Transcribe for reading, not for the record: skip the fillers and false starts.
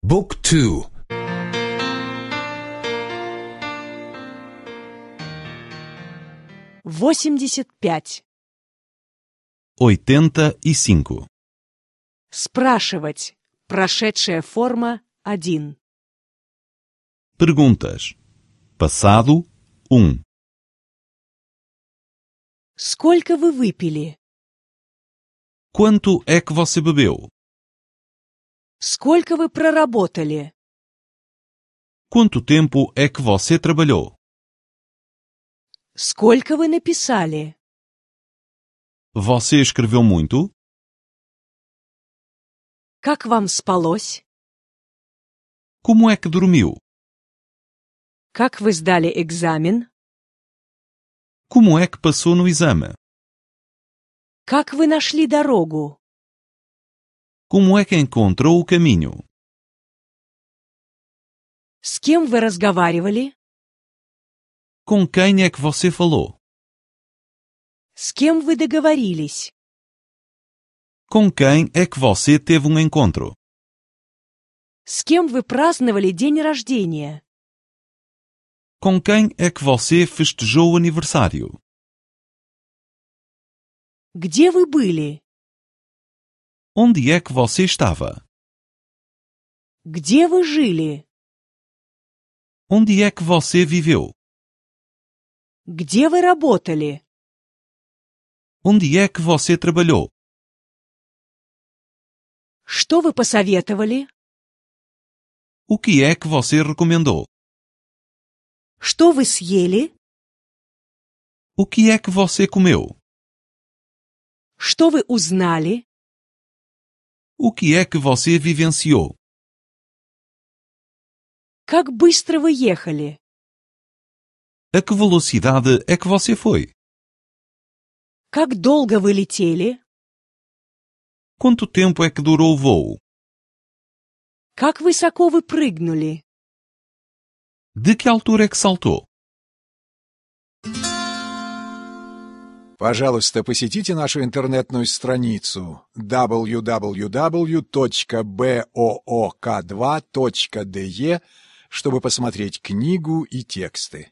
บุ๊กทู 85. 85. Спрашивать. Прошедшая форма 1. Perguntas. Passado 1. Сколько вы выпили? Quanto é que você bebeu? Сколько вы проработали? Quanto tempo é que você trabalhou? Сколько вы написали? Você escreveu muito? Как вам спалось? Como é que dormiu? Как вы сдали экзамен? Como é que passou no exame? Как вы нашли дорогу? Como é que encontrou o caminho? С кем вы разговаривали? Com quem é que você falou? С кем вы договорились? Com quem é que você teve um encontro? С кем вы праздновали день рождения? Com quem é que você festejou o aniversário? Где вы были? Onde é que você estava? Где вы жили? Onde é que você viveu? Где вы работали? Onde é que você trabalhou? Что вы посоветовали? O que é que você recomendou? Что вы съели? O que é que você comeu? Что вы узнали? O que é que você vivenciou? Как быстро вы ехали? A que velocidade é que você foi? Как долго вы летели? Quanto tempo é que durou o voo? Как высоко вы прыгнули? De que altura é que saltou? Пожалуйста, посетите нашу интернетную страницу www.book2.de, чтобы посмотреть книгу и тексты.